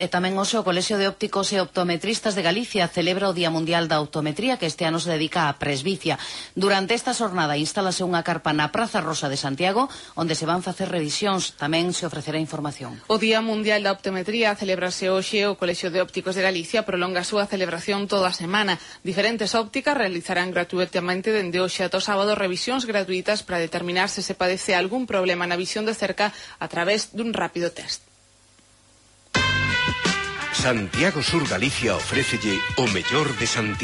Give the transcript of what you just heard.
E tamén hoxe o Colexio de Ópticos e Optometristas de Galicia celebra o Día Mundial da Optometría, que este ano se dedica á presbicia. Durante esta xornada instálase unha carpa na Praza Rosa de Santiago, onde se van facer revisións. Tamén se ofrecerá información. O Día Mundial da Optometría celebrase hoxe. O Colexio de Ópticos de Galicia prolonga a súa celebración toda a semana. Diferentes ópticas realizarán gratuitamente dende hoxe ata o sábado revisións gratuitas para determinar se padece algún problema na visión de cerca a través dun rápido test. Santiago Sur Galicia ofrécelle o mellor de Santiago.